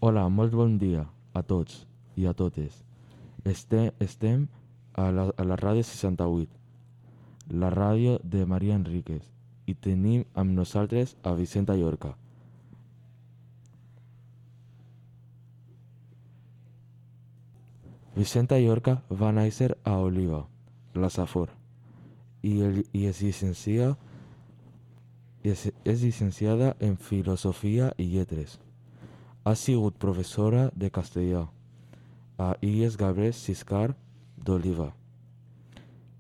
Hola, molt bon dia a tots i a totes. Estem a la ràdio 68, la ràdio de Maria Enríquez, i tenim amb nosaltres a Vicenta Llorca. Vicenta Llorca va néixer a Oliva, la Safor, i és llicenciada en Filosofia i Lletres. Ha sigut professora de castellà a Illes Gabriel Ciscar d'Oliva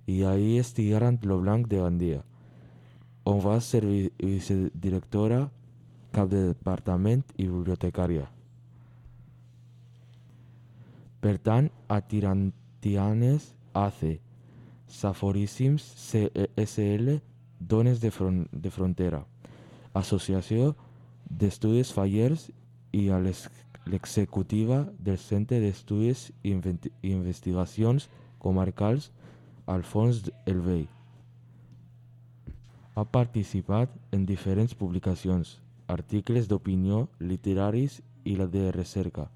i a Illes Tigaran Lo Blanc de Gandia, on va ser vicedirectora, cap de departament i bibliotecària. Pertany a Tirantianes AC, Saforíssims CSL, Dones de Frontera, Associació d'Estudis Fallers i a l'executiva del Centre d'Estudis i Investigacions Comarcals Alfons el Vell. Ha participat en diferents publicacions, articles d'opinió literaris i la de recerca,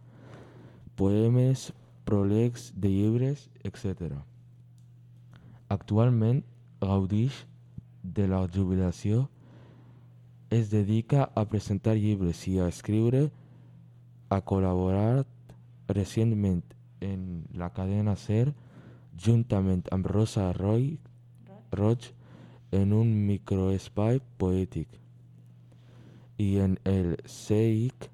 poemes, pròlegs de llibres, etc. Actualment gaudix de la jubilació. Es dedica a presentar llibres i a escriure. Ha col·laborat recentment en la cadena SER juntament amb Rosa Roig en un microespai poètic, i en el CEIC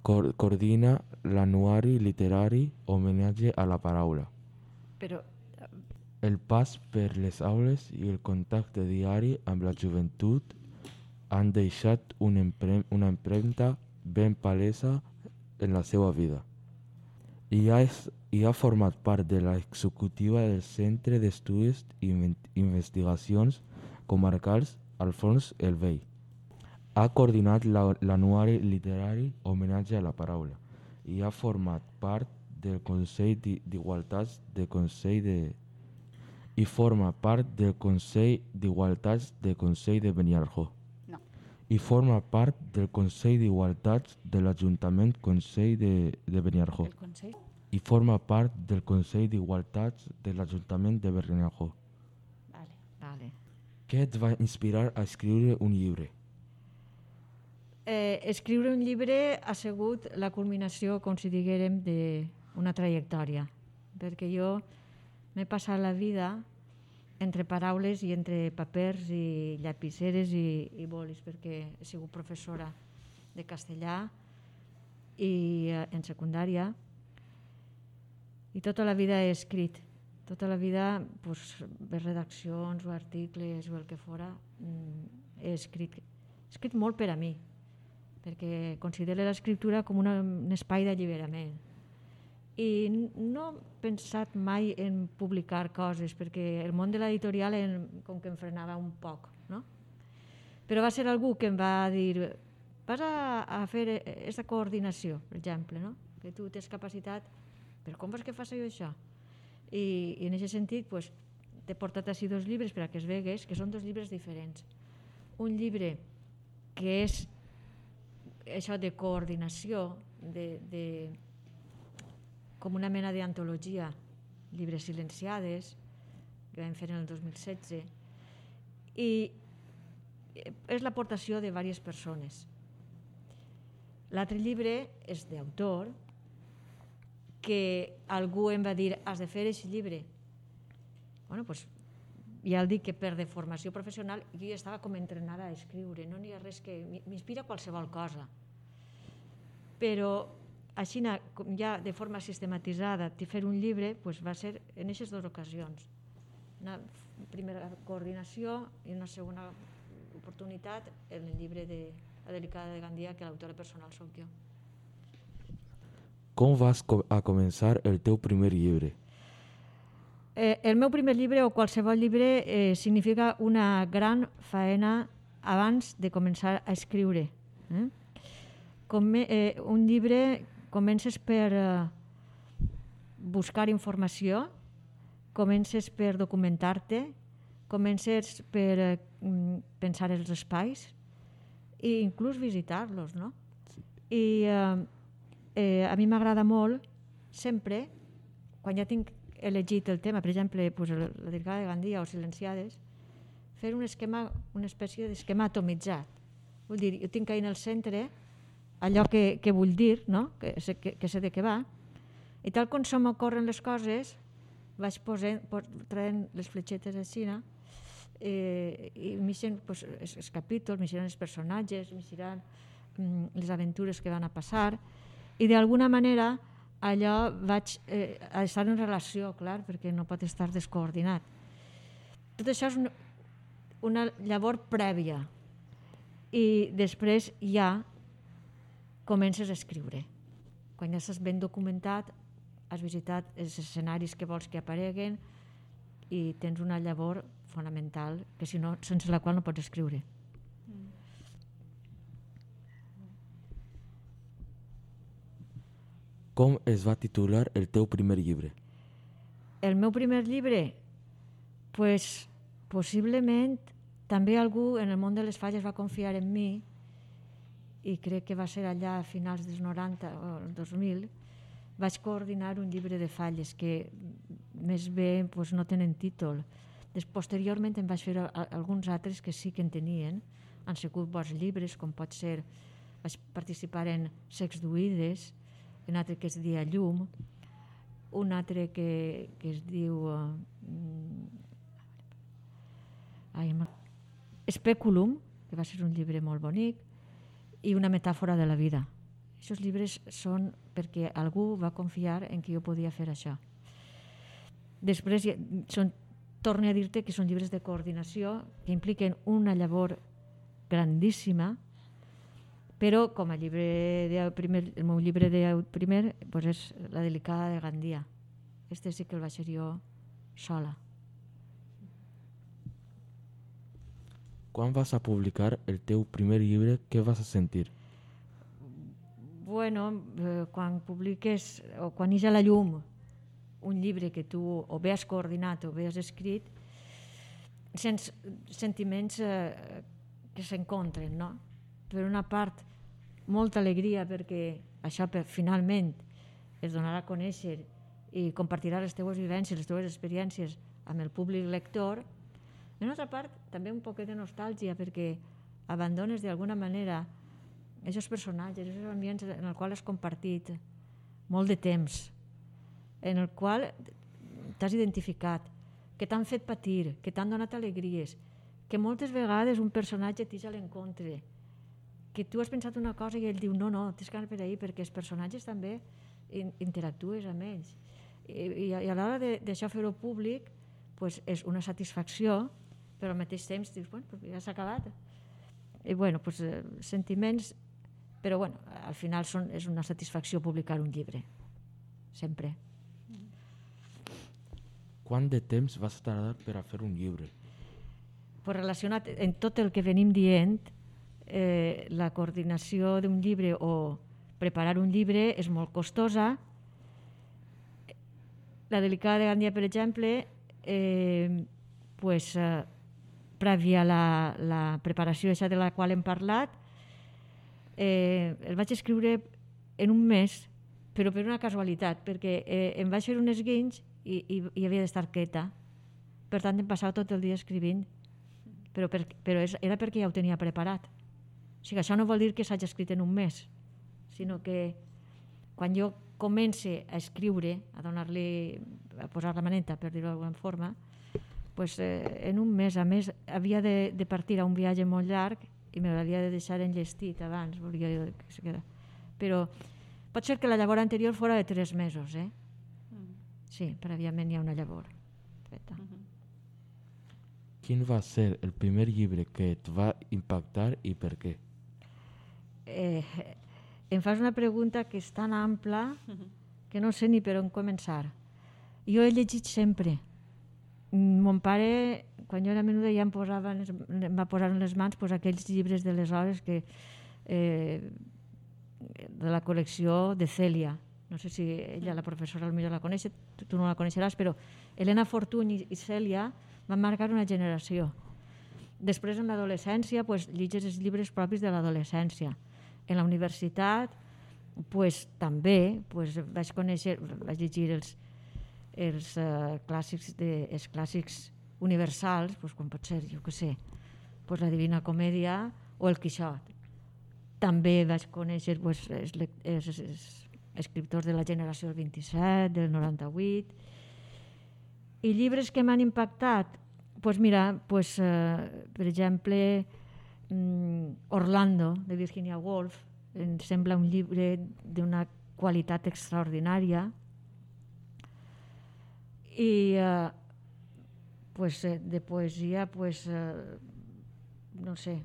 coordina l'anuari literari Homenatge a la Paraula. Però El pas per les aules i el contacte diari amb la joventut han deixat una empremta ben palesa en la seva vida. I ha format part de l'executiva del Centre d'Estudis i Investigacions Comarcals Alfons el Vell. Ha coordinat l'anuari literari Homenatge a la Paraula i ha format part del Consell d'Igualtats de Consell de Beniarjó. no. I forma part del Consell d'Igualtats de l'Ajuntament Consell de Beniarjó. El Consell? I forma part del Consell d'Igualtats de l'Ajuntament de Beniarjó. Vale. Què et va inspirar a escriure un llibre? Escriure un llibre ha sigut la culminació, com si diguérem, d'una trajectòria, perquè jo m'he passat la vida entre paraules i entre papers i llapiceres i bolis, perquè he sigut professora de castellà i en secundària, i tota la vida he escrit. Tota la vida, doncs, bé redaccions o articles o el que fora, he escrit. He escrit molt per a mi, perquè considero l'escriptura com un espai d'alliberament. I no he pensat mai en publicar coses, perquè el món de l'editorial com que em frenava un poc, no? Però va ser algú que em va dir: vas a fer aquesta coordinació, per exemple, no? Que tu tens capacitat, però com vols que faci jo això? I en aquest sentit t'he portat així 2 llibres per a que es vegues que són 2 llibres diferents. Un llibre que és això de coordinació, com una mena d'antologia, llibres silenciades, que vam fer en el 2016, i és l'aportació de diverses persones. L'altre llibre és d'autor, que algú em va dir: has de fer aquest llibre. Bueno, doncs ja el dic que per de formació professional jo ja estava com entrenada a escriure, no n'hi ha res que m'inspira qualsevol cosa. Però així, ja de forma sistematitzada, fer un llibre va ser en aquestes 2 ocasions. Una primera coordinació i una segona oportunitat en el llibre de La Delicada de Gandia, que l'autora personal soc jo. Com vas a començar el teu primer llibre? El meu primer llibre, o qualsevol llibre, significa una gran faena abans de començar a escriure. Un llibre comences per buscar informació, comences per documentar-te, comences per pensar els espais i inclús visitar-los, no? I a mi m'agrada molt, sempre, quan ja tinc elegit el tema, per exemple, la Delicada de Gandia o Silenciades, fer un esquema, una espècie d'esquema atomitzat. Vull dir, jo tinc ahí en el centre allò que vull dir, no? que sé de què va, i tal com se m'ocorren les coses, vaig traient les fletxetes així, i m'hissen els capítols, m'hissen els personatges, m'hissen les aventures que van a passar, i d'alguna manera allò vaig estar en relació, clar, perquè no pot estar descoordinat. Tot això és una llavor prèvia, i després ja comences a escriure. Quan ja estàs ben documentat, has visitat els escenaris que vols que apareguen i tens una llavor fonamental, que si no, sense la qual no pots escriure. Com es va titular el teu primer llibre? El meu primer llibre? Pues, possiblement també algú en el món de les falles va confiar en mi, i crec que va ser allà a finals dels 90 o 2000, vaig coordinar un llibre de falles que més bé no tenen títol. Posteriorment em vaig fer alguns altres que sí que en tenien, han sigut bons llibres, com pot ser, vaig participar en Sexduïdes, un altre que es dia Llum, un altre que es diu Speculum, que va ser un llibre molt bonic, i una metàfora de la vida. Aquests llibres són perquè algú va confiar en que jo podia fer això. Després, torno a dir-te que són llibres de coordinació que impliquen una llavor grandíssima, però com a el meu llibre de primer és La Delicada de Gandia. Este sí que el vaig fer jo sola. Quan vas a publicar el teu primer llibre, què vas a sentir? Bueno, quan publiques o quan ix a la llum un llibre que tu o bé has coordinat o bé has escrit, sents sentiments que s'encontren, no? Per una part, molta alegria perquè això finalment es donarà a conèixer i compartirà les teves vivències, les teves experiències amb el públic lector. Per una altra part, també un poquet de nostàlgia perquè abandones d'alguna manera aquests personatges, aquests ambients en els quals has compartit molt de temps, en el qual t'has identificat, que t'han fet patir, que t'han donat alegries, que moltes vegades un personatge t'eix a l'encontre, que tu has pensat una cosa i ell diu no, tens que anar per ahí, perquè els personatges també interactues amb ells. I a l'hora d'això fer-ho públic és una satisfacció, però al mateix temps dius, ja s'ha acabat. I sentiments, però al final és una satisfacció publicar un llibre, sempre. Quant de temps vas tardar per a fer un llibre? Relacionat amb tot el que venim dient, la coordinació d'un llibre o preparar un llibre és molt costosa. La Delicada de Gandia, per exemple, prèvia a la preparació de la qual hem parlat, el vaig escriure en un mes, però per una casualitat, perquè em vaig fer un esguinç i havia d'estar quieta. Per tant, em passava tot el dia escrivint, però era perquè ja ho tenia preparat. O sigui, això no vol dir que s'hagi escrit en un mes, sinó que quan jo comence a escriure, a posar la maneta, per dir-ho d'alguna forma, en un mes, a més, havia de partir a un viatge molt llarg i m'havia de deixar enllestit abans, però pot ser que la llavor anterior fora de 3 mesos, Sí, prèviament hi ha una llavor feta. Quin va ser el primer llibre que et va impactar i per què? Em fas una pregunta que és tan ampla que no sé ni per on començar. Jo he llegit sempre. Mon pare, quan jo era menuda, ja em va posar en les mans aquells llibres de les hores de la col·lecció de Cèlia. No sé si ella, la professora, potser la coneix, tu no la coneixeràs, però Helena Fortuny i Cèlia van marcar una generació. Després, en l'adolescència, llegis els llibres propis de l'adolescència. En la universitat, també vaig llegir els clàssics universals, com pot ser, jo què sé, la Divina Comèdia o el Quixot. També vaig conèixer els escriptors de la generació del 27, del 98, i llibres que m'han impactat, per exemple, Orlando, de Virginia Woolf, em sembla un llibre d'una qualitat extraordinària, i de poesia, no sé,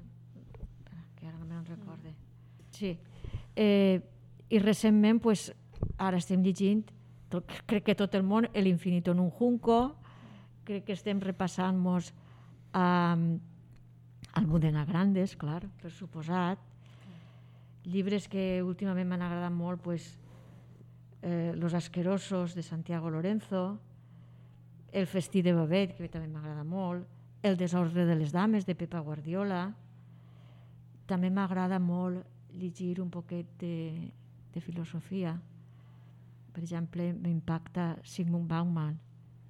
que ara no me'n recorde. Sí. I recentment, ara estem llegint, crec que tot el món, El infinito en un junco, crec que estem repassant-nos Almudena Grandes, clar, per suposat. Llibres que últimament m'han agradat molt, Los asquerosos, de Santiago Lorenzo, El festí de Babet, que també m'agrada molt, El desordre de les dames, de Pepa Guardiola. També m'agrada molt llegir un poquet de filosofia. Per exemple, m'impacta Zygmunt Bauman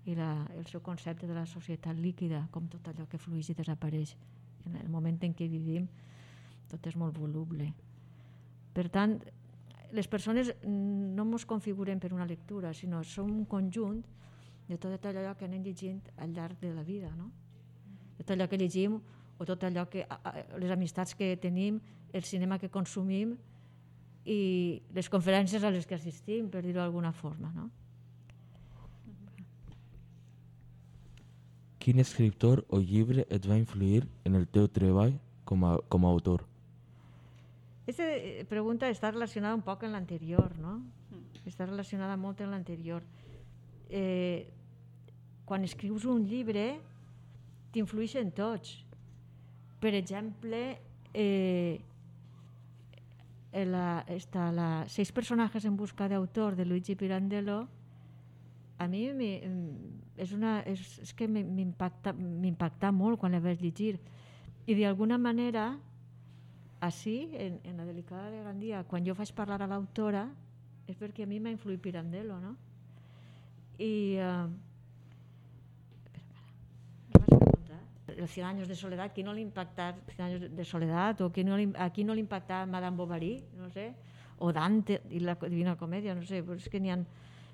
i el seu concepte de la societat líquida, com tot allò que flueix i desapareix. En el moment en què vivim, tot és molt voluble. Per tant, les persones no ens configurem per una lectura, sinó som un conjunt de tot allò que anem llegint al llarg de la vida, no? Tot allò que llegim o tot allò que les amistats que tenim, el cinema que consumim i les conferències a les que assistim, per dir-ho d'alguna forma, no? Quin escriptor o llibre et va influir en el teu treball com a autor? Aquesta pregunta està relacionada un poc amb l'anterior, no? Està relacionada molt amb l'anterior. Quan escrius un llibre, t'influeixen tots. Per exemple, Seis personajes en busca de autor, de Luigi Pirandello, a mi és que m'impacta molt quan la vaig llegir. I d'alguna manera, així, en la delicada de Gandia, quan jo faig parlar a l'autora, és perquè a mi m'ha influït Pirandello, no? I... ¿Qué vas a preguntar? Els 100 años de soledad, qui no li impacta 100 años de soledad? O a qui no li impacta Madame Bovary, no sé? O Dante i la Divina Comèdia, no sé, però és que n'hi ha...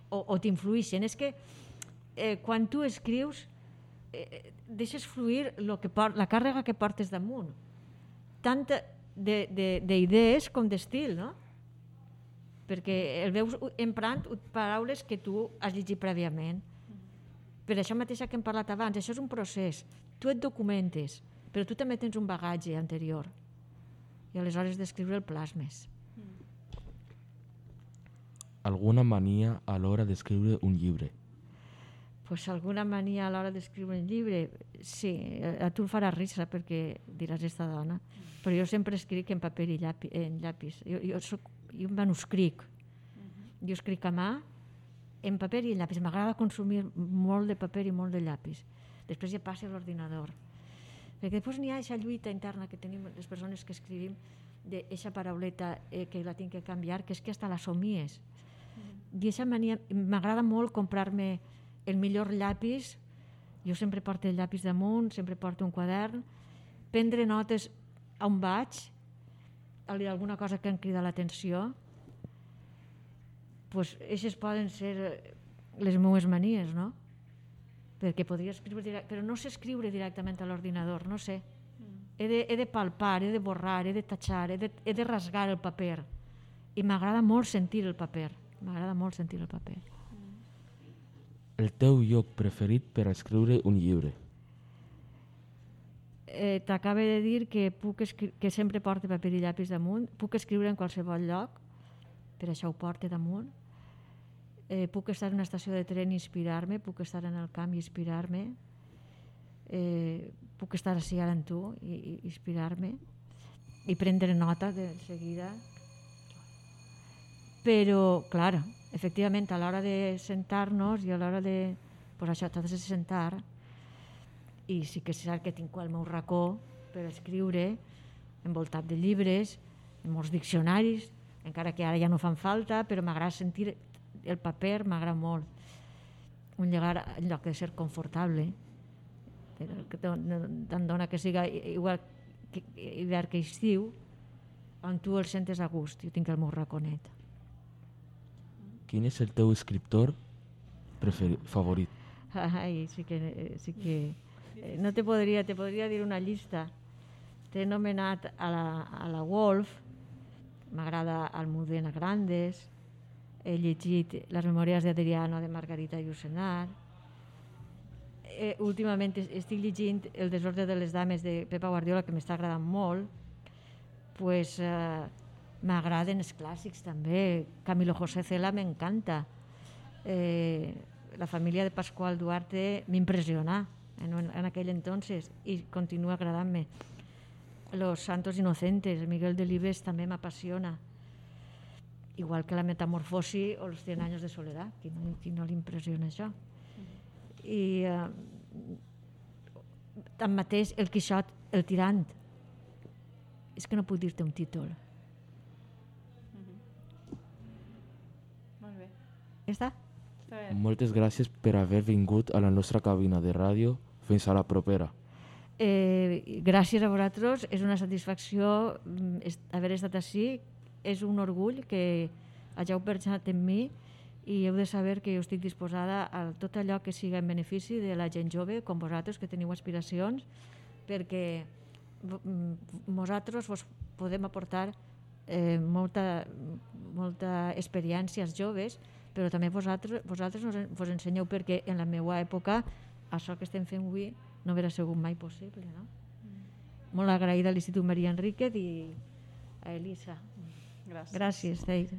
O t'influïxen. És que quan tu escrius deixes fluir la càrrega que portes damunt. Tant d'idees com d'estil, no? Perquè el veus emprant paraules que tu has llegit prèviament. Per això mateix que hem parlat abans, això és un procés. Tu et documentes, però tu també tens un bagatge anterior. I aleshores d'escriure el plasmes. Alguna mania a l'hora d'escriure un llibre? Alguna mania a l'hora d'escriure un llibre? Sí, a tu el farà risa perquè diràs esta dona, però jo sempre escric en paper i llapis. Jo manuscric. Jo escric a mà en paper i en llapis. M'agrada consumir molt de paper i molt de llapis. Després ja passa a l'ordinador. Perquè després n'hi ha aquesta lluita interna que tenim les persones que escrivim d'aquesta parauleta que la tinc que canviar, que és que hasta la somies. I aquesta mania, m'agrada molt comprar-me el millor llapis. Jo sempre porto el llapis damunt, sempre porto un quadern, prendre notes on vaig, alguna cosa que em crida l'atenció. Aquestes poden ser les meves manies, no? Perquè podria escriure, però no sé escriure directament a l'ordinador, no sé. He de palpar, he de borrar, he de tatxar, he de rasgar el paper. I m'agrada molt sentir el paper. El teu lloc preferit per a escriure un llibre? T'acabo de dir que sempre porto paper i llapis damunt. Puc escriure en qualsevol lloc, per això ho porto damunt. Puc estar en una estació de tren i inspirar-me, puc estar en el camp i inspirar-me, puc estar així ara amb tu i inspirar-me i prendre nota de seguida. Però, clar, efectivament, a l'hora de sentar-nos i a l'hora de... Pues això, t'has de sentar, i sí que és cert que tinc el meu racó per escriure, envoltat de llibres, en molts diccionaris, encara que ara ja no fan falta, però m'agrada sentir el paper, m'agrada molt. Un llegar en lloc de ser confortable, que te'n dona que siga igual que hivern que estiu, on tu el sentes a gust. Jo tinc el meu raconet. Quin és el teu escriptor favorit? Ai, sí que no te podria dir una llista. T'he nomenat a la Woolf, m'agrada Almudena Grandes, he llegit Les memòries d'Adriano de Margarita Llucenar, últimament estic llegint El desordre de les dames de Pepa Guardiola, que m'està agradant molt. Pues m'agraden els clàssics també. Camilo José Cela m'encanta. La família de Pascual Duarte m'impressiona en aquell entonces i continua agradant-me. Los Santos Inocentes, Miguel Delibes també m'apassiona, igual que La Metamorfosi o Los 100 años de soledad. Qui no li impressiona això? I tanmateix el Quixot, el tirant, és que no puc dir-te un títol. Molt bé. Ja està? Moltes gràcies per haver vingut a la nostra cabina de ràdio. Fins a la propera. Gràcies a vosaltres, és una satisfacció haver estat així, és un orgull que hàgiu pensat en mi i heu de saber que jo estic disposada a tot allò que siga en benefici de la gent jove com vosaltres, que teniu aspiracions, perquè vosaltres vos podem aportar molta experiència als joves, però també vosaltres vos ensenyeu, perquè en la meva època això que estem fent avui no hauria sigut mai possible, no? Molt agraïda a l'Institut Maria Enríquez i a Elisa. Gràcies. Gràcies, Teire.